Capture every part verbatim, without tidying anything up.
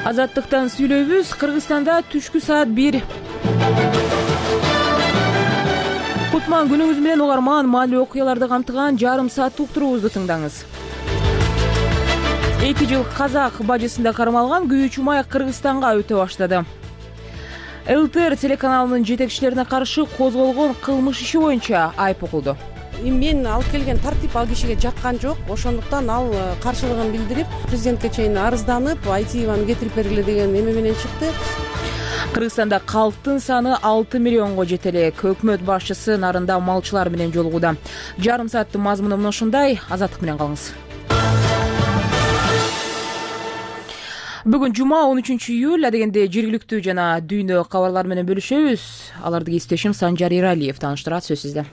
Азаттыктан сүйлөйбүз. Кыргызстанда түшкү саат бир. Кутман күнүңүз менен угарман, маалымый окуяларды камтыган жарым сааттык уктуруубузду тыңдаңыз. эки жыл казак бажысында кармалган Күйүүчү Май Кыргызстанга өтө баштады. ЛТР телеканалынын жетекчилерине каршы козголгон кылмыш иши боюнча айып окулду. Мен алып келген тартип ал кишиге жаккан жок. Ошондуктан ал каршылыгын билдирип, президентке чейин арызданып, Айтиеваны кетирип бергиле деген эме менен чыкты. Кыргызстанда калктын саны алты миллионго жете элек. Өкмөт башчысы нарында малчылар менен жолугуда. Жарым сааттын мазмуну мына ушундай. Азаттык менен калыңыз. Бүгүн жума он үчүнчү июль, адегенде жергиликтүү жана дүйнө кабарлары менен бөлүшөбүз. Аларды кесиптешим Санжар Иралиев тааныштырат, сөз сизде.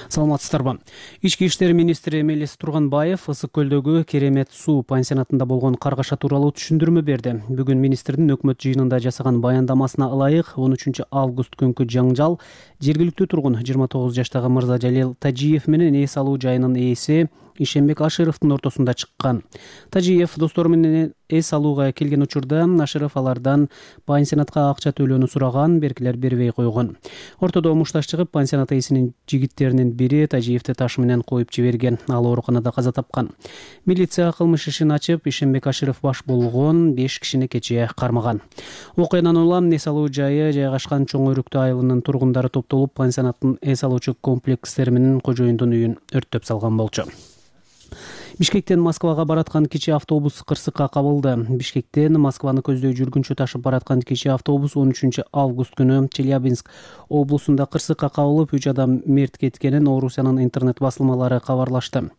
Саламатсыздарбы. Ички иштер министри Мелис Турганбаев Ысык көлдөгү Керемет суу пансионатында болгон каргаша тууралуу түшүндүрмө берди. Бүгүн министрдин өкмөт жыйынында жасаган баяндамасына ылайык он үчүнчү август күнкү жаңжал жергиликтүү тургун жыйырма тогуз жаштагы Мырзажалил Тажиев менен эс алуу жайынын ээси Ишенбек Ашыровдун ортосунда чыккан. Тажиев достору менен эс алууга келген учурда Ашыров алардан пансионатка акча төлөөнү сураган, беркилер бербей койгон. Ортодо мушташ чыгып, пансионат ээсинин жигиттеринин бири Тажиевди таш менен коюп жиберген. Ал ооруканада каза тапкан. Милиция кылмыш ишин ачып, Ишенбек Ашыров баш болгон беш кишини кечээ кармаган. Окуядан улам эс алуу жайы жайгашкан Чоң Өрүктүү айылынын тургундары топтолуп, пансионаттын эс алуучу комплекстери менен кожоюндун үйүн өрттөп салган болчу. Бишкектен Москвага бараткан кичи автобус кырсыкка кабылды. Бишкектен Москваны көздөй жүргүнчү ташып бараткан кичи автобус он үчүнчү август күнү Челябинск облусунда кырсыкка кабылып, үч адам мерт кеткенин Орусиянын интернет басылмалары кабарлашты.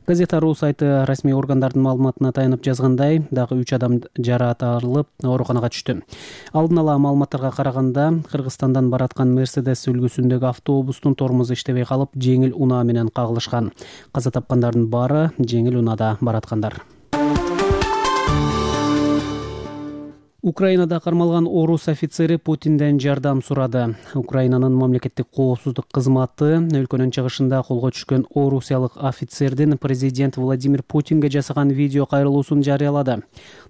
Газета.ру сайты расмий органдардын маалыматына таянып жазгандай, дагы үч адам жараат алып ооруканага түштү. Алдын ала маалыматтарга караганда, Кыргызстандан бараткан Мерседес үлгүсүндөгү автобустун тормозу иштебей калып, жеңил унаа менен кагылышкан. Каза тапкандардын баары жеңил унаада бараткандар. Украинада кармалган орус офицери Путинден жардам сурады. Украинанын мамлекеттик коопсуздук кызматы өлкөнүн чыгышында колго түшкөн орусиялык офицердин президент Владимир Путинге жасаган видео кайрылуусун жарыялады.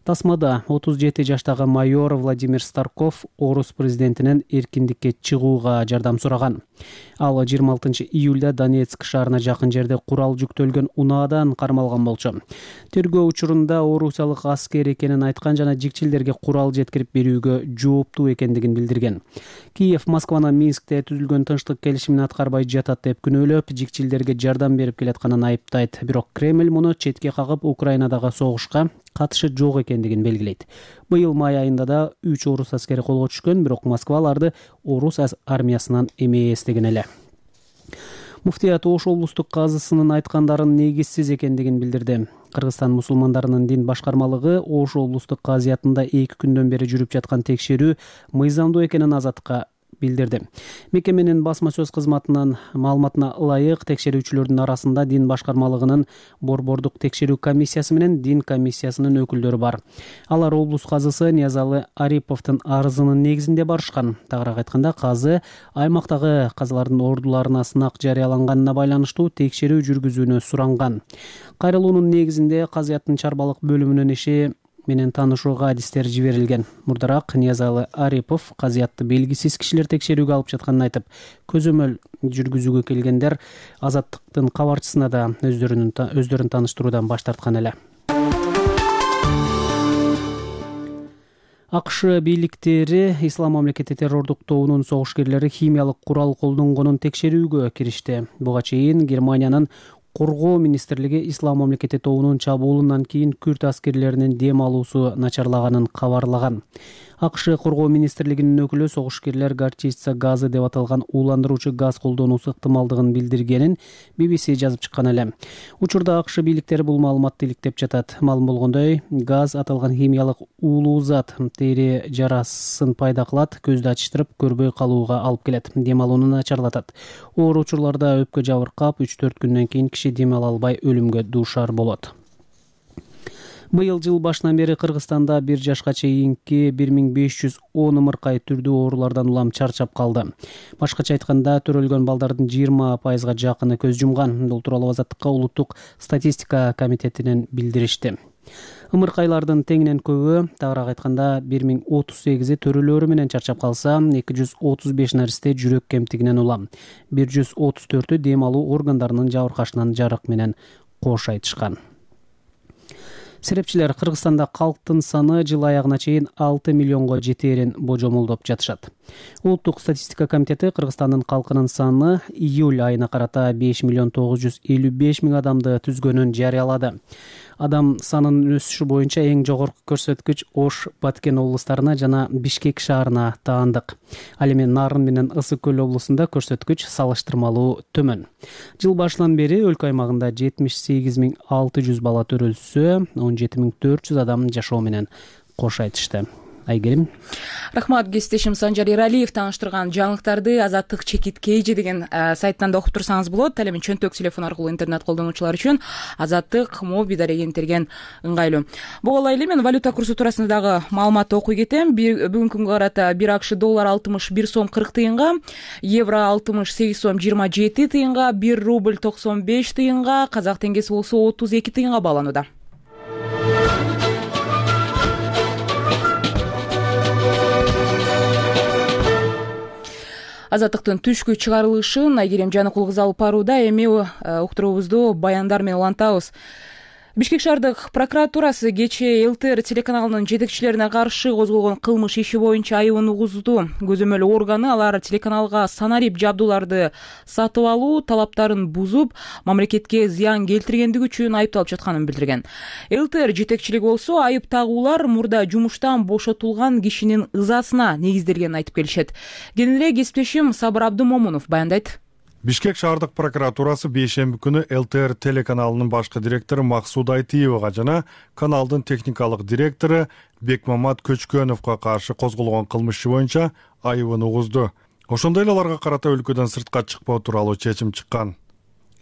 Тасмада отуз жети жаштагы майор Владимир Старков орус президентинен эркиндикке чыгууга жардам сураган. Ал жыйырма алтынчы июлда Донецк шаарына жакын жерде курал жүктөлгөн унаадан кармалган болчу. Тергөө учурунда орусиялык аскер экенин айткан жана жикчилдерге курал жеткирип берүүгө жооптуу экендигин билдирген. Киев Москваны Минскте түзүлгөн тынчтык келишимин аткарбай жатат деп күнөөлөп, жикчилдерге жардам берип келатканын айыптайт. Бирок Кремль муну четке кагып, Украинадагы согушка катышы жок экендигин белгилейт. Быйыл май айында да үч орус аскери колго түшкөн, бирок Москва аларды орус армиясынан эмес деген эле. Муфтият Ош облустук казысынын айткандарын негизсиз экендигин билдирди. Кыргызстан мусулмандарынын дин башкармалыгы Ош облустук казыятында эки күндөн бери жүрүп жаткан текшерүү мыйзамдуу экенин Азаттыкка билдирди. Мекеменин басма сөз кызматынын маалыматына ылайык, текшерүүчүлөрдүн арасында дин башкармалыгынын борбордук текшерүү комиссиясы менен дин комиссиясынын өкүлдөрү бар. Алар облус казысы Ниязалы Ариповдун арызынын негизинде барышкан. Тагыраак айтканда, казы аймактагы казылардын ордуларына сынак жарыяланганына байланыштуу текшерүү жүргүзүүнү суранган. Кайрылуунун негизинде казыяттын чарбалык бөлүмүнүн иши менен таанышууга адистер жиберилген. Мурдараак Ниязалы Арипов казыятты белгисиз кишилер текшерүүгө алып жатканын айтып, көзөмөл жүргүзүүгө келгендер Азаттыктын кабарчысына да өздөрүнүн өздөрүн тааныштыруудан баш тарткан эле. АКШ бийликтери Ислам мамлекети террордук тобунун согушкерлери химиялык курал колдонгонун текшерүүгө киришти. Буга чейин Германиянын Коргоо министрлиги Ислам мамлекети тобунун чабуулунан кийин күрд аскерлеринин дем алуусу начарлаганын кабарлаган. АКШ Коргоо министрлигинин өкүлү согушкерлер горчица газы деп аталган ууландыруучу газ колдонуусу ыктымалдыгын билдиргенин би би си жазып чыккан эле. Учурда АКШ бийликтери бул маалыматты иликтеп жатат. Маалым болгондой, газ аталган химиялык уулуу зат тери жарасын пайда кылат, көздү ачыштырып, көрбөй калууга алып келет, дем алууну начарлатат. Оор учурларда өпкө жабыркап, үч төрт күндөн кийин киши дем ала албай өлүмгө дуушар болот. Быйыл жыл башынан бери Кыргызстанда бир жашка чейинки бир миң беш жүз он ымыркай түрдүү оорулардан улам чарчап калды. Башкача айтканда, төрөлгөн балдардын жыйырма пайызга жакыны көз жумган. Бул тууралуу Азаттыкка улуттук статистика комитетинен билдиришти. Ымыркайлардын теңинен көбү, тагыраак айтканда бир миң отуз сегизи төрөлөрү менен чарчап калса, эки жүз отуз беш наристе жүрөк кемтигинен улам, бир жүз отуз төртү дем алуу органдарынын жабыркашынан жарык менен кош айтышкан. Серепчилер Кыргызстанда калктын саны жыл аягына чейин алты миллионго жетээрин божомолдоп жатышат. Улуттук статистика комитети Кыргызстандын калкынын саны июль айына карата беш миллион тогуз жүз элүү беш миң адамды түзгөнүн жарыялады. Адам санынын өсүшү боюнча эң жогорку көрсөткүч Ош, Баткен облустарына жана Бишкек шаарына таандык. Ал эми Нарын менен Ысык көл облусунда көрсөткүч салыштырмалуу төмөн. Жыл башынан бери өлкө аймагында жетимиш сегиз миң алты жүз бала төрөлсө, он жети миң төрт жүз адам жашоо менен кош айтышты. Айгерим. Рахмат, кесиптешим Санжар Эралиев тааныштырган жаңылыктарды Азаттык чекит Кж деген сайттан да окуп турсаңыз болот. Ал эми чөнтөк телефон аркылуу интернет колдонуучулар үчүн Азаттык моби дарегентирген ыңгайлуу. Буга ылайык эле мен валюта курсу туурасында дагы маалымат окуй кетем. Бүгүнкү күнгө карата бир АКШ доллар алтымыш бир сом кырк тыйынга, евро алтымыш сегиз сом жыйырма жети тыйынга, бир рубль токсон беш тыйынга, казак теңгеси болсо отуз эки тыйынга бааланууда. Азаттыктын түшкү чыгарылышын Айгерим Жаныкул кызы алып барууда. Эми уктуруубузду баяндар менен улантабыз. Бишкек шаардык прокуратурасы кечээ ЛТР телеканалынын жетекчилерине каршы козголгон кылмыш иши боюнча айыбын угузду. Көзөмөл органы алар телеканалга санарип жабдууларды сатып алуу талаптарын бузуп, мамлекетке зыян келтиргендиги үчүн айыпталып жатканын билдирген. ЛТР жетекчилиги болсо айып тагуулар мурда жумуштан бошотулган кишинин ызасына негизделгенин айтып келишет. Кененирээк кесиптешим Сабыр Абдымомунов баяндайт. Бишкек шаардык прокуратурасы бейшемби күнү ЛТР телеканалынын башкы директору Максуд Айтиевага жана каналдын техникалык директору Бекмамат Көчкөновго каршы козголгон кылмыш иши боюнча айыбын угузду. Ошондой эле аларга карата өлкөдөн сыртка чыкпоо тууралуу чечим чыккан.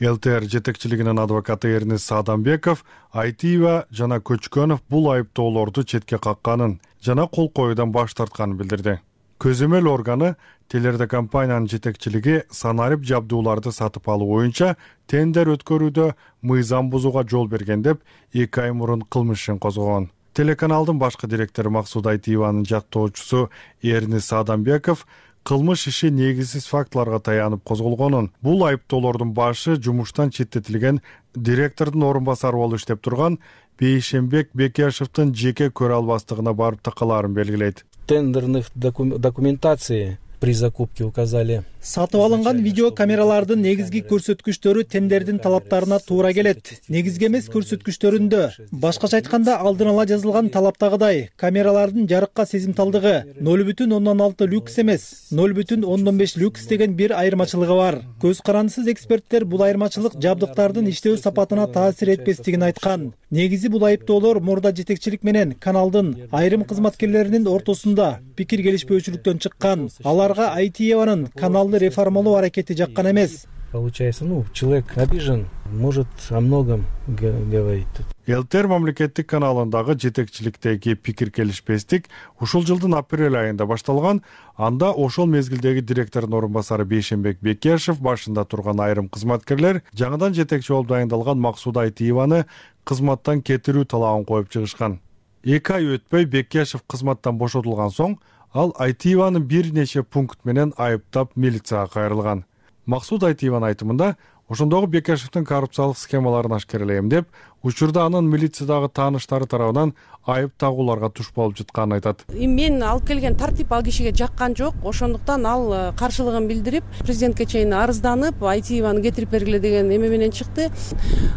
ЛТР жетекчилигинин адвокаты Эрнис Саадамбеков Айтиева жана Көчкөнов бул айыптоолорду четке какканын жана кол коюудан баш тартканын билдирди. Көзөмөл органы телерадиокомпаниянын жетекчилиги санарип жабдууларды сатып алуу боюнча тендер өткөрүүдө мыйзам бузууга жол берген деп эки ай мурун кылмыш ишин козгогон. Телеканалдын башкы директору Максуд Айтиеванын жактоочусу Эрнис Саадамбеков кылмыш иши негизсиз фактыларга таянып козголгонун, бул айыптоолордун башы жумуштан четтетилген директордун орун басары болуп иштеп турган Бейшембек Бекешевдин жеке көрө албастыгына барып такалаарын белгилейт. Тендерных документации при закупке указали. Сатып алынган видео камералардын негизги көрсөткүчтөрү тендердин талаптарына туура келет. Негизги эмес көрсөткүчтөрүндө, башкача айтканда алдын ала жазылган талаптагыдай, камералардын жарыкка сезимталдыгы ноль бүтүн ондон алты люкс эмес, ноль бүтүн ондон беш люкс деген бир айырмачылыгы бар. Көз карандысыз эксперттер бул айырмачылык жабдыктардын иштөө сапатына таасир этпестигин айткан. Негизи бул айыптоолор мурда жетекчилик менен каналдын айрым кызматкерлеринин ортосунда пикир келишпөөчүлүктөн чыккан. Аларга Айтиеванын канал реформалоо аракети жаккан эмес. Получается, ну, человек обижен, может о многом говорить. ЛТР мамлекеттик каналындагы жетекчиликтеги пикир келишпестик ушул жылдын апрель айында башталган. Анда ошол мезгилдеги директордун орун басары Бейшембек Бекешев башында турган айрым кызматкерлер жаңыдан жетекчи болуп дайындалган Максуд Айтиеваны кызматтан кетирүү талабын коюп чыгышкан. Эки ай өтпөй Бекешев кызматтан бошотулган соң ал Айтиеванын бир нече пункт менен айыптап милицияга кайрылган. Максуд Айтиеванын айтымында, ошондогу Бекешевдин коррупциялык схемаларын ашкерелейм деп, учурда анын милициядагы тааныштары тарабынан айып тагууларга туш болуп жатканын айтат. Мен алып келген тартип ал кишиге жаккан жок, ошондуктан ал каршылыгын билдирип, президентке чейин арызданып, Айтиеваны кетирип бергиле деген эме менен чыкты.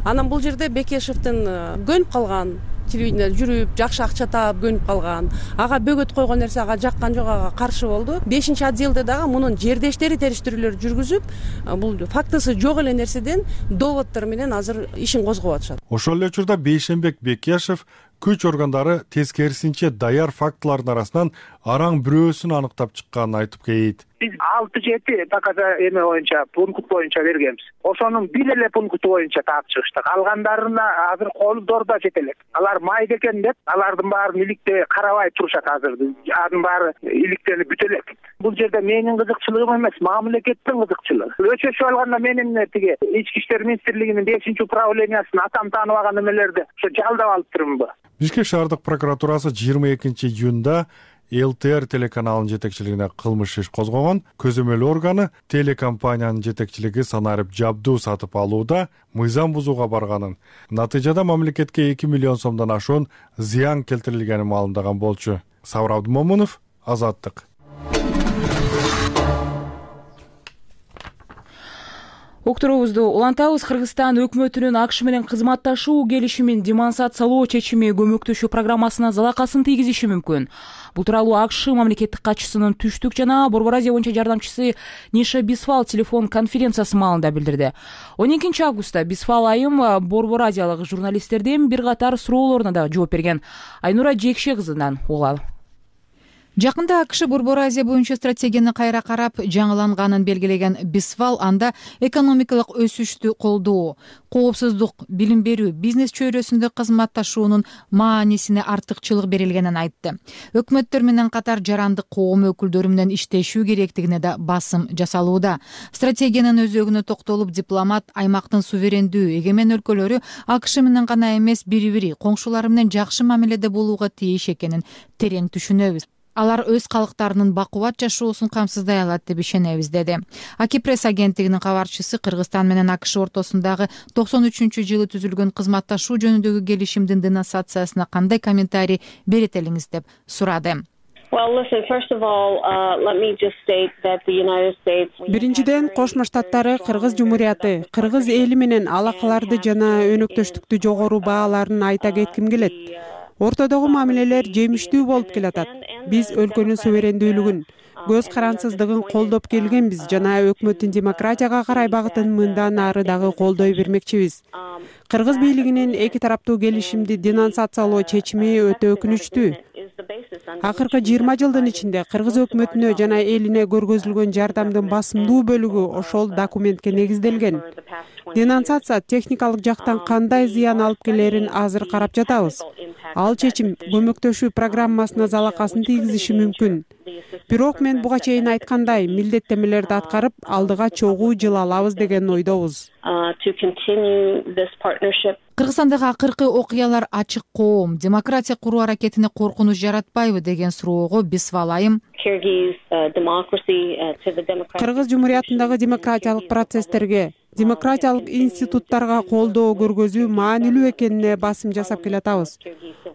Анан бул жерде Бекешевдин көнүп калган, телевидениеде жүрүп, жакшы акча таап көнүп калган. Ага бөгөт койгон нерсе ага жаккан жок, ага каршы болду. бешинчи отделде дагы мунун жердештери териштирүүлөр жүргүзүп, бул фактысы жок эле нерседен доводдор менен азыр ишин козгоп атышат. Ошол эле учурда Бейшембек Бекешев күч органдары тескерисинче даяр фактылардын арасынан араң бирөөсүн аныктап чыкканын айтып кейит. Биз алты жети таказа эме боюнча, пункт боюнча бергенбиз. Ошонун бир эле пункту боюнча таап чыгыштык. Калгандарына азыр колдордо жетелек. Алар майда экен деп, алардын баарын иликте карабай турушат азыр. Анын баары иликтенип бүтө элек. Бул жерде менин кызыкчылыгым эмес, мамлекеттин кызыкчылыгы. Өчөчү алганда менин тиги Ички иштер министрлигинин бешинчи управлениясын атам тааныбаган эмелерди ошо жалдап алып турмунбу? Бишкек шаардык прокуратурасы жыйырма экинчи июнда эл тэ эр телеканалынын жетекчилигине кылмыш иш козгогон. Көзөмөл органы телекомпаниянын жетекчилиги санарип жабдуу сатып алууда мыйзам бузууга барганын, натыйжада мамлекетке эки миллион сомдон ашуун зыян келтирилгенин маалымдаган болчу. Сабыр Абдымомунов, Азаттык. Уктуруубузду улантабыз. Кыргызстан өкмөтүнүн АКШ менен кызматташуу келишимин демонстрациялоо чечими көмөктөшүү программасына залакасын тийгизиши мүмкүн. Бул тууралуу АКШ мамлекеттик катчысынын Түштүк жана Борбор Азия боюнча жардамчысы Ниша Бисфал телефон конференциясы маалында билдирди. он экинчи августта Бисфал айым Борбор Азиялык журналисттердин бир катар суроолоруна да жооп берген. Айнура Жекше кызынан угалы. Жакында АКШ Борбор Азия боюнча стратегияны кайра карап жаңыланганын белгилеген Бисфал анда экономикалык өсүштү колдоо, коопсуздук, билим берүү, бизнес чөйрөсүндө кызматташуунун маанисине артыкчылык берилгенин айтты. Өкмөттөр менен катар жарандык коом өкүлдөрү менен иштешүү керектигине да басым жасалууда. Стратегиянын өзөгүнө токтолуп, дипломат аймактын суверендүү, эгемен өлкөлөрү АКШ менен гана эмес, бири-бири коңшулары менен жакшы мамиледе болууга тийиш экенин терең түшүнөбүз. Алар өз калктарынын бакубат жашоосун камсыздай алат деп ишенебиз, деди. Аки пресс агенттигинин кабарчысы Кыргызстан менен АКШ ортосундагы токсон үчүнчү жылы түзүлгөн кызматташуу жөнүндөгү келишимдин денонсациясына кандай комментарий берет элиңиз деп сурады. Биринчиден, Кошмо Штаттары Кыргыз Жумурияты, Кыргыз эли менен алакаларды жана өнөктөштүктү жогору бааларын айта кетким келет. Ортодогу мамилелер жемиштүү болуп келатат. Биз өлкөнүн суверендүүлүгүн, көз карансыздыгын колдоп келгенбиз жана өкмөттүн демократияга карай багытын мындан ары дагы колдой бермекчибиз. Кыргыз бийлигинин эки тараптуу келишимди денонсациялоо чечими өтө өкүнүчтүү. Акыркы жыйырма жылдын ичинде Кыргыз өкмөтүнө жана элине көргөзүлгөн жардамдын басымдуу бөлүгү ошол документке негизделген. Денонсация техникалык жактан кандай зыян алып келерин азыр карап жатабыз. Ал чечим көмөктөшүү программасына залакасын тийгизиши мүмкүн. Бирок мен буга чейин айткандай, милдеттемелерди аткарып, алдыга чогуу жыл алабыз деген ойдобуз. Кыргызстандагы акыркы окуялар ачык коом, демократия куруу аракетине коркунуч жаратпайбы деген суроого Бисфал айым Кыргыз Жумуриятындагы демократиялык процесстерге, демократиялык институттарга колдоо көргөзүү маанилүү экенине басым жасап келатабыз.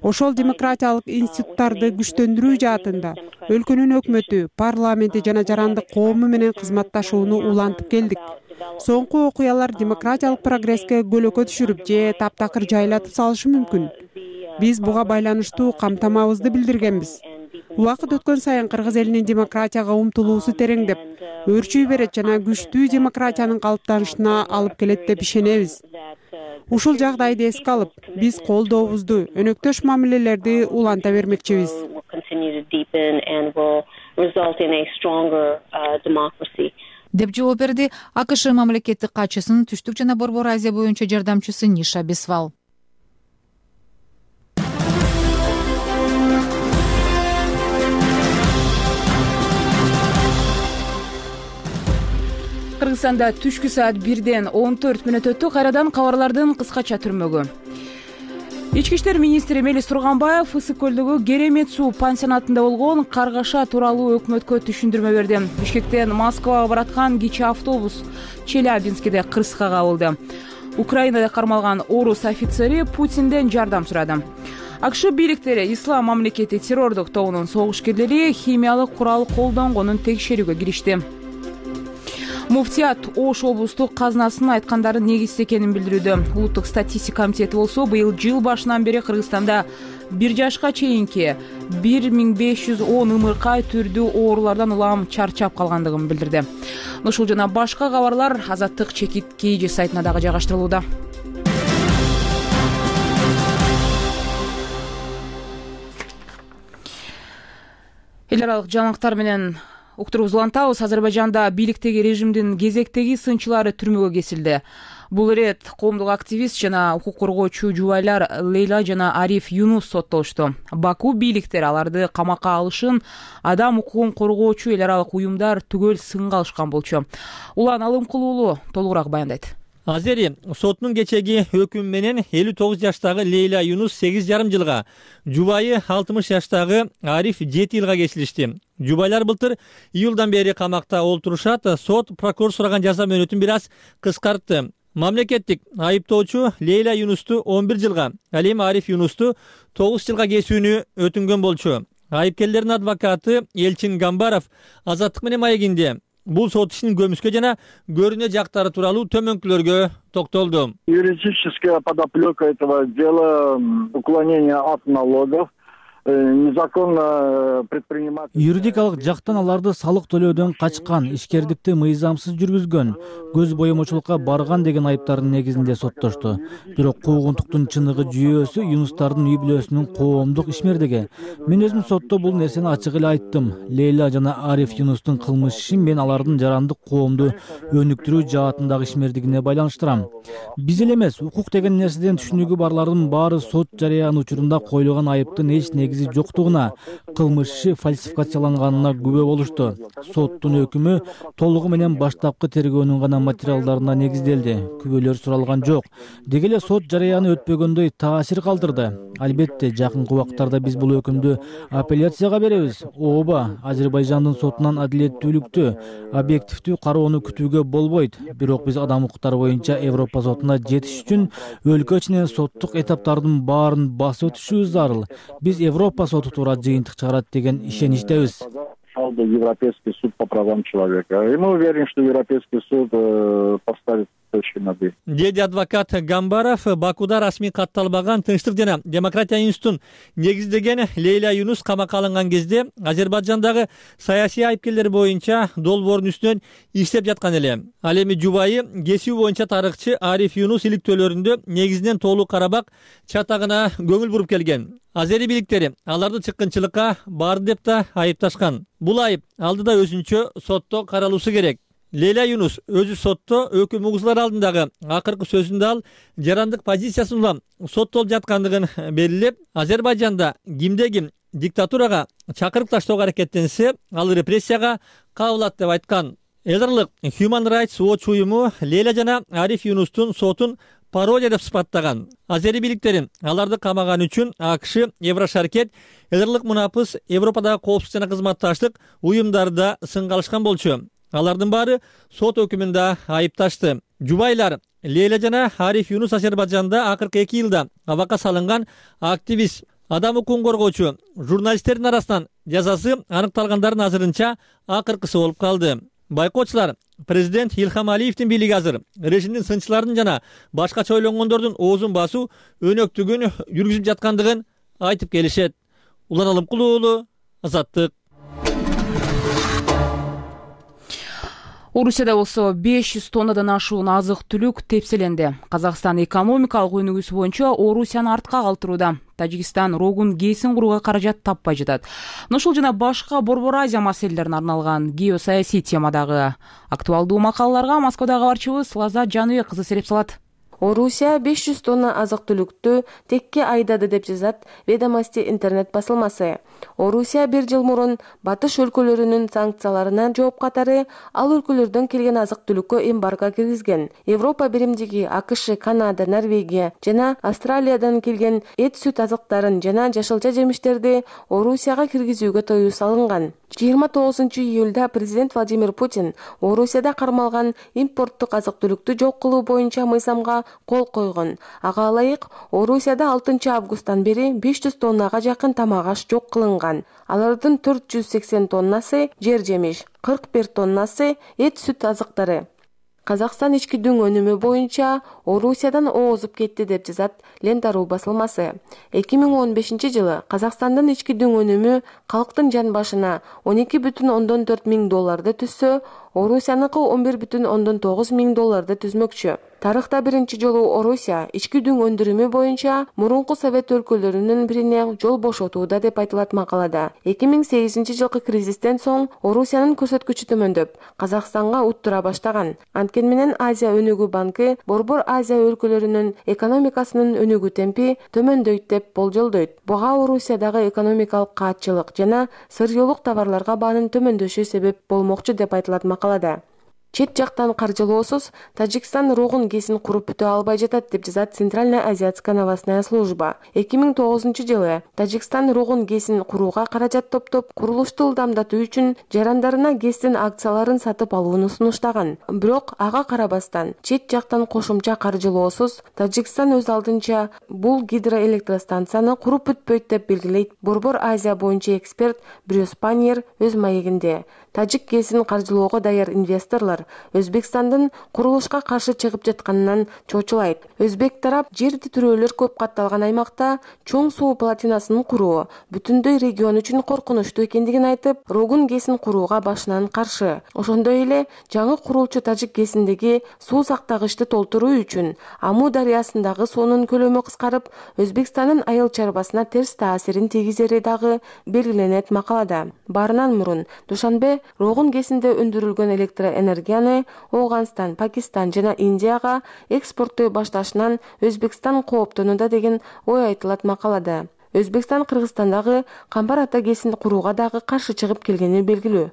Ошол демократиялык институттарды күчтөндүрүү жаатында өлкөнүн өкмөтү, парламенти жана жарандык коому менен кызматташууну улантып келдик. Соңку окуялар демократиялык прогресске көлөкө түшүрүп же таптакыр жайлатып салышы мүмкүн. Биз буга байланыштуу камтамабызды билдиргенбиз. Убакыт өткөн сайын кыргыз элинин демократияга умтулуусу тереңдеп, өөрчүй берет жана күчтүү демократиянын калыптанышына алып келет деп ишенебиз. Ушул жагдайды эске алып, биз колдообузду, өнөктөш мамилелерди уланта бермекчибиз. деп жооп берди АКШ мамлекеттик катчысынын Түштүк жана Борбор Азия боюнча жардамчысы Ниша Бисфал. Кыргызстанда түшкү саат бирден он төрт мүнөт өттү. Кайрадан кабарлардын кыскача түрмөгү. Ички иштер министри Мелис Турганбаев Ысык көлдөгү Керемет суу пансионатында болгон каргаша тууралуу өкмөткө түшүндүрмө берди. Бишкектен Москвага бараткан кичи автобус Челябинскиде кырсыкка кабылды. Украинада кармалган орус офицери Путинден жардам сурады. АКШ бийликтери Ислам мамлекети террордук тобунун согушкерлери химиялык курал колдонгонун текшерүүгө киришти. Муфтият Ош облустук казынасынын айткандарын негизсиз экенин билдирүүдө. Улуттук статистика комитети болсо быйыл жыл башынан бери Кыргызстанда бир жашка чейинки бир миң беш жүз он ымыркай түрдүү оорулардан улам чарчап калгандыгын билдирди. Ушул жана башка кабарлар Азаттык чекит кей сайтына дагы жайгаштырылууда. Эл аралык жаңылыктар менен уктуруубузду улантабыз. Азербайжанда бийликтеги режимдин кезектеги сынчылары түрмөгө кесилди. Бул ирет коомдук активист жана укук коргоочу жубайлар Лейла жана Ариф Юнус соттолушту. Баку бийликтери аларды камакка алышын адам укугун коргоочу эл аралык уюмдар түгөл сынга алышкан болчу. Улан Алымкулуулу толугураак баяндайт. Азери сотунун кечеги өкүмү менен элүү тогуз жаштагы Лейла Юнус сегиз жарым жылга, жубайы алтымыш жаштагы Ариф жети жылга кесилишти. Жубайлар былтыр июлдан бери камакта олтурушат. Сот прокурор сураган жаза мөөнөтүн бир аз кыскартты. Мамлекеттик айыптоочу Лейла Юнусту он бир жылга, ал эми Ариф Юнусту тогуз жылга кесүүнү өтүнгөн болчу. Айыпкерлердин адвокаты Элчин Гамбаров Азаттык менен маегинде бул сот ишинин көмүскө жана көрүнө жактары тууралуу төмөнкүлөргө токтолду. Юридическая подоплека этого дела — уклонение от налогов, незаконно предпринимать. Юридикалык жактан аларды салык төлөөдөн качкан, ишкердикти мыйзамсыз жүргүзгөн, көз боемочулукка барган деген айыптардын негизинде соттошту. Бирок куугунтуктун чыныгы жүйөөсү Юнустардын үй бүлөсүнүн коомдук ишмердиги. Мен өзүм сотто бул нерсени ачык эле айттым. Лейла жана Ариф Юнустун кылмыш ишин мен алардын жарандык коомду өнүктүрүү жаатындагы ишмердигине байланыштырам. Биз эле эмес, укук деген нерседен түшүнүгү барлардын баары сот жарыяны учурунда коюлган айыптын эч негизи жоктугуна, кылмыш иши фальсификацияланганына күбө болушту. Соттун өкүмү толугу менен баштапкы тергөөнүн гана материалдарына негизделди. Күбөлөр суралган жок. Деги эле сот жарыяны өтпөгөндөй таасир калтырды. Албетте, жакынкы убактарда биз бул өкүмдү апелляцияга беребиз. Ооба, Азербайжандын сотунан адилеттүүлүктү, объективдүү кароону күтүүгө болбойт. Бирок биз адам укуктары боюнча Европа сотуна жетиш үчүн өлкө ичинен соттук этаптардын баарын басып өтүшүбүз зарыл. Биз Европа соту туура жыйынтык чыгарат деген ишеничтебиз. Европейский суд по правам человека. И мы уверены, что Европейский суд поставит точки над «и». Деди адвокат Гамбаров Бакуда расмий катталбаган Тынчтык жана демократия институтун негиздеген Лейла Юнус камакка алынган кезде Азербайжандагы саясий айыпкерлер боюнча долбоордун үстүнөн иштеп жаткан эле. Ал эми жубайы кесүү боюнча тарыхчы Ариф Юнус иликтөөлөрүндө негизинен тоолуу Карабак чатагына көңүл буруп келген. Азери бийликтери аларды чыккынчылыкка барды деп да айыпташкан. Бул айып алдыда өзүнчө сотто каралуусу керек. Лейла Юнус өзү сотто өкүм угузулар алдындагы акыркы сөзүндө ал жарандык позициясын улам соттолуп жаткандыгын белгилеп, Азербайжанда кимде ким диктатурага чакырып таштоого аракеттенсе, ал репрессияга кабылат деп айткан. Элдерлык Human Rights Watch уюму Лейла жана Ариф Юнустун сотун пародия деп сыпаттаган. Азери бийликтери аларды камаган үчүн АКШ, Еврошаркет, Элдерлык Мунапыс, Европадагы коопсуздук жана кызматташтык уюмдарда сынга алышкан болчу. Алардын баары сот өкүмүндө айыпташты. Жубайлар Лейла жана Ариф Юнус Азербайжанда акыркы эки жылда абакка салынган активист, адам укугун коргоочу, журналисттердин арасынан жазасы аныкталгандардын азырынча акыркысы болуп калды. Байкоочулар президент Илхам Алиевдин бийлиги азыр режимдин сынчыларын жана башкача ойлонгондордун оозун басуу өнөктүгүн жүргүзүп жаткандыгын айтып келишет. Улан Алымкулуу уулу, Азаттык. Орусияда болсо беш жүз тоннадан ашуун азык-түлүк тепселенди. Казакстан экономикалык өнүгүүсү боюнча Орусияны артка калтырууда. Тажикстан рогун кейсин курууга каражат таппай жатат. Ушул жана башка Борбор Азия маселелерине арналган геосаясий темадагы актуалдуу макалаларга Москвадагы кабарчыбыз Лаза Жаныбек кызы сереп салат. Орусия беш жүз тонна азык-түлүктү текке айдады деп жазат Ведомости интернет басылмасы. Орусия бир жыл мурун батыш өлкөлөрүнүн санкцияларына жооп катары ал өлкөлөрдөн келген азык-түлүккө эмбарго киргизген. Европа биримдиги АКШ, Канада, Норвегия жана Австралиядан келген эт, сүт азыктарын жана жашылча жемиштерди Орусияга киргизүүгө тыюу салынган. жыйырма тогузунчу июлда президент Владимир Путин Орусияда кармалган импорттук азык-түлүктү жок кылуу боюнча мыйзамга кол койгон. Ага ылайык, Орусияда алтынчы августтан бери беш жүз тоннага жакын тамак аш жок кылынган. Алардын төрт жүз сексен тоннасы жер жемиш, кырк бир тоннасы эт, сүт азыктары. Казакстан ички дүң өнүмү боюнча Орусиядан оозуп кетти деп жазат Лента.ру басылмасы. эки миң он бешинчи жылы Казакстандын ички дүң өнүмү калктын жан башына он эки бүтүн ондон төрт миң долларды түзсө, Орусияныкы он бир бүтүн ондон тогуз миң долларды түзмөкчү. Тарыхта биринчи жолу Орусия ички дүң өндүрүмү боюнча мурунку Совет өлкөлөрүнүн бирине жол бошотууда деп айтылат макалада. эки миң сегизинчи жылкы кризистен соң Орусиянын көрсөткүчү төмөндөп, Казакстанга уттура баштаган. Анткени менен Азия өнүгүү банкы Борбор Азия өлкөлөрүнүн экономикасынын өнүгүү темпи төмөндөйт деп болжолдойт. Буга Орусиядагы экономикалык каатчылык жана сырьёолук товарларга баанын төмөндөшү себеп болмокчу деп айтылат макалада. Чет жактан каржылоосуз Тажикстан рогун кесин куруп бүтө албай жатат деп жазат Центральная азиатская новостная служба. эки миң тогузунчу жылы Тажикстан рогун кесин курууга каражат топтоп, курулушту ылдамдатуу үчүн жарандарына гэстин акцияларын сатып алууну сунуштаган. Бирок ага карабастан чет жактан кошумча каржылоосуз Тажикстан өз алдынча бул гидроэлектростанцияны куруп бүтпөйт деп белгилейт Борбор Азия боюнча эксперт Брюс Паньер өз маегинде. Тажик гэсин каржылоого даяр инвесторлор Өзбекстандын курулушка каршы чыгып жатканынан чочулайт. Өзбек тарап жер титирөөлөр көп катталган аймакта чоң суу плотинасын куруу бүтүндөй регион үчүн коркунучтуу экендигин айтып, рогун гэсин курууга башынан каршы. Ошондой эле жаңы курулчу Тажик гэсиндеги суу сактагычты толтуруу үчүн Аму дарыясындагы суунун көлөмү кыскарып, Өзбекстандын айыл чарбасына терс таасирин тийгизери дагы белгиленет макалада. Баарынан мурун Душанбе рогун гэсинде өндүрүлгөн электроэнергияны Ооганстан, Пакистан жана Индияга экспорттой башташынан Өзбекстан кооптонууда деген ой айтылат макалада. Өзбекстан Кыргызстандагы Камбар ата гэсин курууга дагы каршы чыгып келгени белгилүү.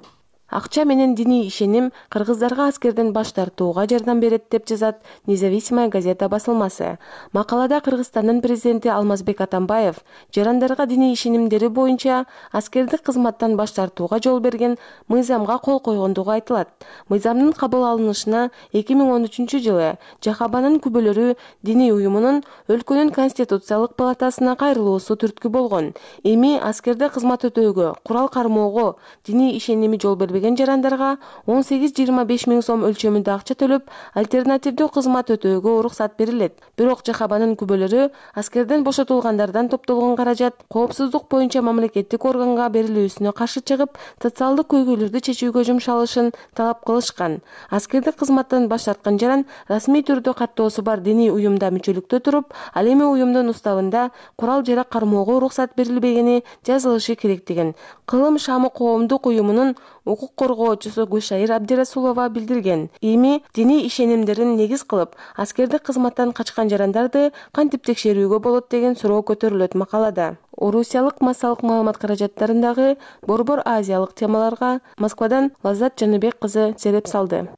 Акча менен диний ишеним кыргыздарга аскерден баш тартууга жардам берет деп жазат Независимая газета басылмасы. Макалада Кыргызстандын президенти Алмазбек Атамбаев жарандарга диний ишенимдери боюнча аскердик кызматтан баш тартууга жол берген мыйзамга кол койгондугу айтылат. Мыйзамдын кабыл алынышына эки миң он үчүнчү жылы Жахабанын күбөлөрү диний уюмунун өлкөнүн конституциялык палатасына кайрылуусу түрткү болгон. Эми аскерде кызмат өтөөгө, курал кармоого диний ишеними жол бербеген жарандарга он сегиз жыйырма беш миң сом өлчөмүндө акча төлөп, альтернативдүү кызмат өтөөгө уруксат берилет. Бирок Жахабанын күбөлөрү аскерден бошотулгандардан топтолгон каражат коопсуздук боюнча мамлекеттик органга берилүүсүнө каршы чыгып, социалдык көйгөйлөрдү чечүүгө жумшалышын талап кылышкан. Аскердик кызматтан баш тарткан жаран расмий түрдө каттоосу бар диний уюмда мүчөлүктө туруп, ал эми уюмдун уставында курал жарак кармоого уруксат берилбегени жазылышы керек деген Кылым Шамы коомдук уюмунун укук коргоочусу Гүлшайыр Абдирасулова билдирген. Эми диний ишенимдерин негиз кылып, аскердик кызматтан качкан жарандарды кантип текшерүүгө болот деген суроо көтөрүлөт макалада. Орусиялык массалык маалымат каражаттарындагы борбор азиялык темаларга Москвадан Лаззат Жаныбек кызы сереп салды.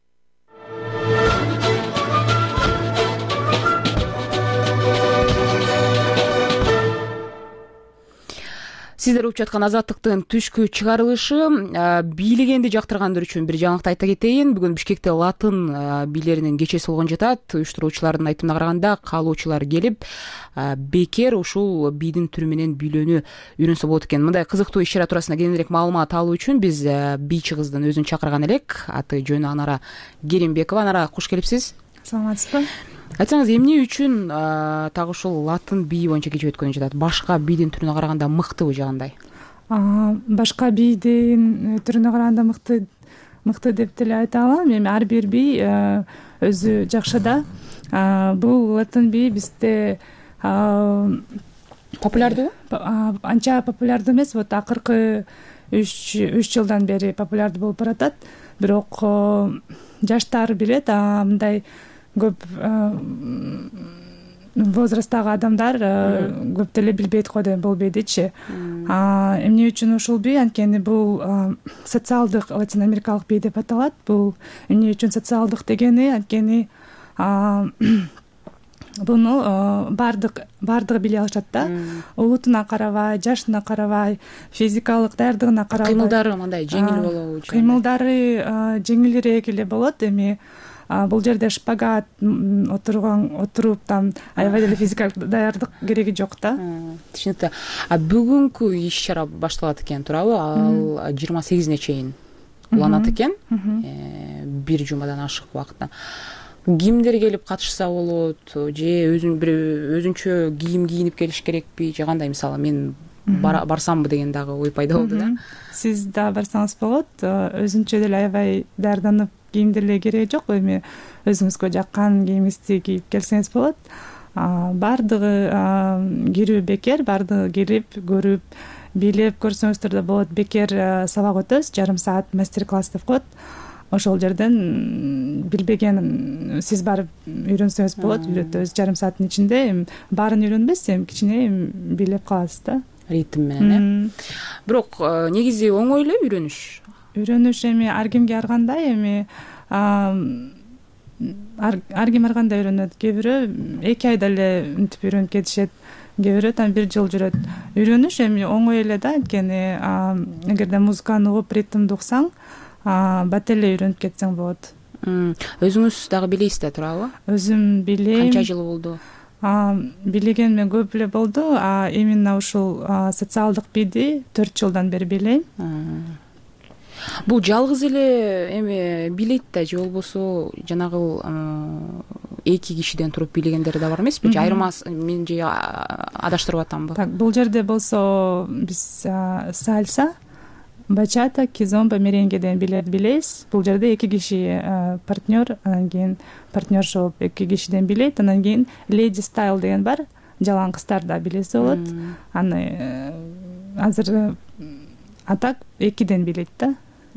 Сиздер угуп жаткан Азаттыктын түшкү чыгарылышы. Бийлегенди жактыргандар үчүн бир жаңылыкты айта кетейин. Бүгүн Бишкекте латын бийлеринин кечеси болгон жатат. Уюштуруучулардын айтымына караганда каалоочулар келип, бекер ушул бийдин түрү менен бийлөөнү үйрөнсө болот экен. Мындай кызыктуу иш-чара туурасында кененирээк маалымат алуу үчүн биз бийчи кыздын өзүн чакырган элек. Аты жөнү Анара Керимбекова. Анара, куш келипсиз. Саламатсызбы? Айтсаңыз, эмне үчүн так ушул латын бийи боюнча кечип өткөн жатат? Башка бийдин түрүнө караганда мыктыбы же кандай? Башка бийдин түрүнө караганда мыкты мыкты деп деле айта алам. Эми ар бир бий өзү жакшы да. Бул латын бий бизде популярдуу? Анча популярдуу эмес. Вот акыркы үч жылдан бери популярдуу болуп баратат. Бирок жаштар билет, мындай көп возрасттагы адамдар көп деле билбейт го деп болбойдучу. Эмне үчүн ушул бий? Анткени бул социалдык латин америкалык бий деп аталат. Бул эмне үчүн социалдык дегени? Анткени буну бардык бардыгы биле алышат да. Улутуна карабай, жашына карабай, физикалык даярдыгына карабай. Кыймылдары мындай жеңил болобу? Кыймылдары жеңилирээк эле болот. Эми бул жерде шпагат отурган отуруп там аябай деле физикалык даярдык кереги жок да. Түшүнүктүү. А бүгүнкү иш-чара башталат экен, туурабы? Ал жыйырма сегизине чейин уланат экен. Бир жумадан ашык убакытта. Кимдер келип катышса болот же өзүн бир өзүнчө кийим кийинип келиш керекпи же кандай? Мисалы мен барсамбы деген дагы ой пайда болду да. Сиз да барсаңыз болот. Өзүнчө деле аябай даярданып кийим деле кереги жок. Эми өзүңүзгө жаккан кийимиңизди кийип келсеңиз болот. Бардыгы кирүү бекер, бардыгы кирип көрүп бийлеп көрсөңүздөр да болот. Бекер сабак өтөбүз, жарым саат мастер-класс деп коет. Ошол жерден билбеген сиз барып үйрөнсөңүз болот. Үйрөтөбүз жарым сааттын ичинде. Эми баарын үйрөнбөйсүз, эми кичине билеп каласыз да. Ритм менен, э? Бирок негизи оңой эле үйрөнүш. Үйрөнүш эми ар кимге ар кандай. Эми ар ким ар кандай үйрөнөт. Кээ бирөө эки айда эле мынтип үйрөнүп кетишет, кээ бирөө там бир жыл жүрөт. Үйрөнүш эми оңой эле да, анткени эгерде музыканы угуп, ритмди уксаң, бат эле үйрөнүп кетсең болот. Өзүңүз дагы билесиз да, туурабы? Өзүм билем. Канча жыл болду? Билегениме көп эле болду, а именно ушул социалдык бийди төрт жылдан бери билейм. Бул жалгыз эле эми билейт да, же болбосо жанагы эки кишиден туруп бийлегендер да бар эмеспи? Же айырмасы, мен же адаштырып атамбы? Так, бул жерде болсо биз сальса, бачата, кизомба, меренгеден билебиз. Бул жерде эки киши партнер, анан кийин партнерша болуп эки кишиден билет. Анан кийин леди стайл деген бар, жалаң кыздар да билесе болот. Аны азыр атак экиден билет да.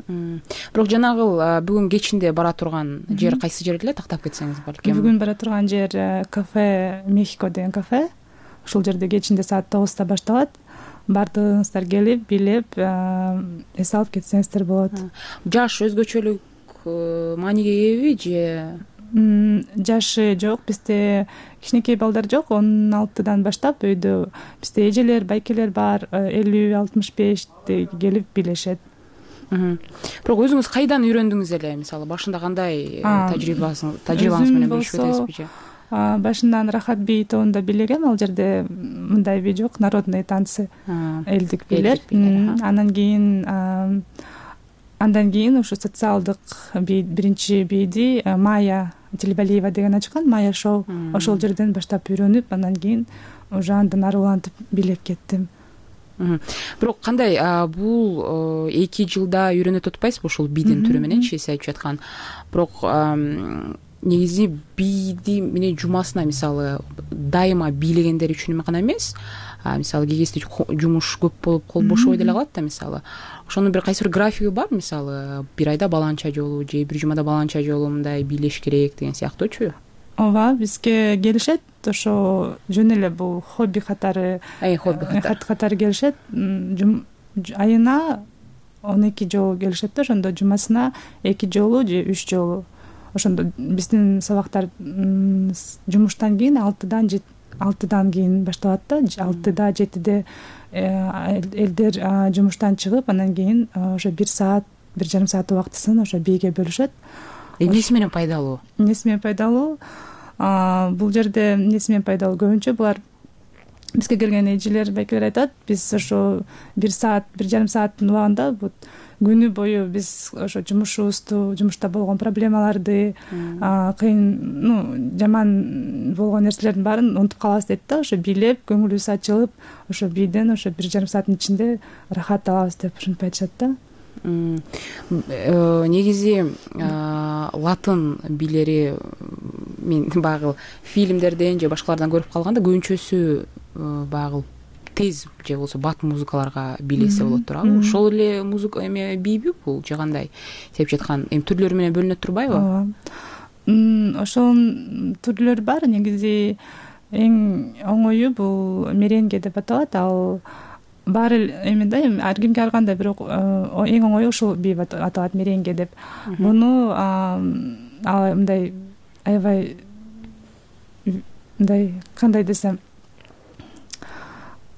Бирок жанагы бүгүн кечинде бара турган жер кайсы жер эле, тактап кетсеңиз балким? Бүгүн бара турган жер кафе Мехико деген кафе. Ушул жерде кечинде саат тогузда башталат. Баардыгыңыздар келип, билеп, эс алып кетсеңиздер болот. Жаш өзгөчөлүк мааниге эеби же? Жашы жок, бизде кичинекей балдар жок. он алтыдан баштап өйдө бизде эжелер, байкелер бар, элүү алтымыш беште келип билешет. Бирок өзүңүз кайдан үйрөндүңүз эле? Мисалы, башында кандай тажрыйбаңыз тажрыйбаңыз менен бөлүшүп өтөсүзбү же? Башынан Рахат би тобунда бийлегем. Ал жерде мындай би жок, народный танцы, элдик бийлер. Анан кийин андан кийин ушу социалдык би биринчи бийди Майя Телебалиева деген ачкан, Майя шоу. Ошол жерден баштап үйрөнүп, андан кийин уже андан ары улантып билеп кеттим. Бирок кандай бул эки жылда үйрөнөт атпайсызбы ушул бийдин түрү мененчи, сиз айтып жаткан. Бирок негизи бийди менен жумасына, мисалы, дайыма бийлегендер үчүн гана эмес, мисалы кей кезде жумуш көп болуп кол бошобой деле калат да, мисалы. Ошонун бир кайсы бир графиги бар, мисалы, бир айда баланча жолу же бир жумада баланча жолу мындай бийлеш керек деген сыяктуучу? Ооба, бизге келишет, ошо жөн эле бул хобби катары, хобби катары келишет. Айына он эки жолу келишет да, ошондо жумасына эки жолу же үч жолу. Ошондо биздин сабактар жумуштан кийин алтыдан алтыдан кийин башталат да, алтыда жетиде элдер жумуштан чыгып, анан кийин ошо бир саат, бир жарым саат убактысын ошо бийге бөлүшөт. Эмнеси менен пайдалуу? Эмнеси менен пайдалуу? Бул жерде эмнеси менен пайдалуу? Көбүнчө булар бизге келген эжелер, байкелер айтат, биз ошо бир саат, бир жарым сааттын убагында күнү бою биз ошо жумушубузду, жумушта болгон проблемаларды, кыйын, ну, жаман болгон нерселердин баарын унутуп калабыз дейт да. Ошо бийлеп, көңүлүбүз ачылып, ошо бийден ошо бир жарым сааттын ичинде рахат алабыз деп ушинтип айтышат да. Негизи латын бийлери мен багыл фильмдерден же башкалардан көрүп калганда көбүнчөсү багыл тез же болбосо бат музыкаларга бийлесе болот туурабы? Ошол эле музыка эме бийби бул же кандай? Сеп жаткан эми түрлөрү менен бөлүнөт турбайбы? Ооба. Ошол түрлөр бар. Негизи эң оңою бул меренге деп аталат. Ал бар эми да, ар кимге ар кандай, бирок эң оңою ушул бий аталат, меренге деп. Муну ал мындай аябай мындай кандай десем,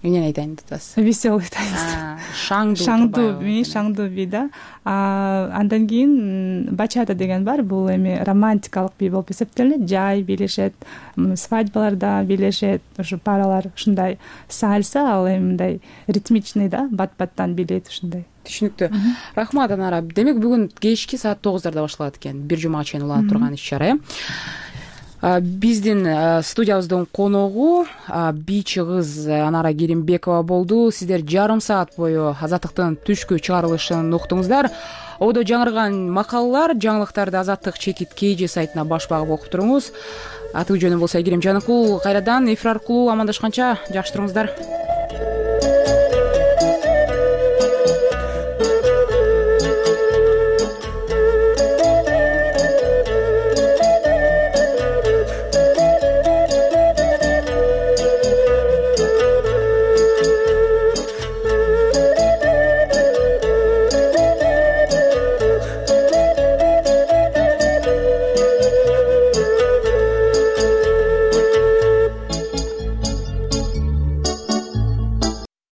эмнени айтайын деп атасыз? Веселый айтайын. Шаңдуу. Шаңдуу, шаңдуу бий да. Андан кийин бачата деген бар. Бул эми романтикалык бий болуп эсептелет. Жай бийлешет, свадьбаларда бийлешет, ошо паралар ушундай. Сальса ал эми мындай ритмичный да, бат-баттан бийлейт ушундай. Түшүнүктүү. Рахмат Анара. Демек бүгүн кечки саат тогуздарда башталат экен. Бир жумага чейин уланып турган иш-чара. Биздин студиябыздын коногу бийчи кыз Анара Керимбекова болду. Сиздер жарым саат бою Азаттыктын түшкү чыгарылышын уктуңуздар. Одо жаңырган макалалар, жаңылыктарды Азаттык чекит кей же сайтына баш багып окуп туруңуз. Аты жөнүм болсо Айгерим Жаныкул. Кайрадан эфир аркылуу амандашканча жакшы туруңуздар.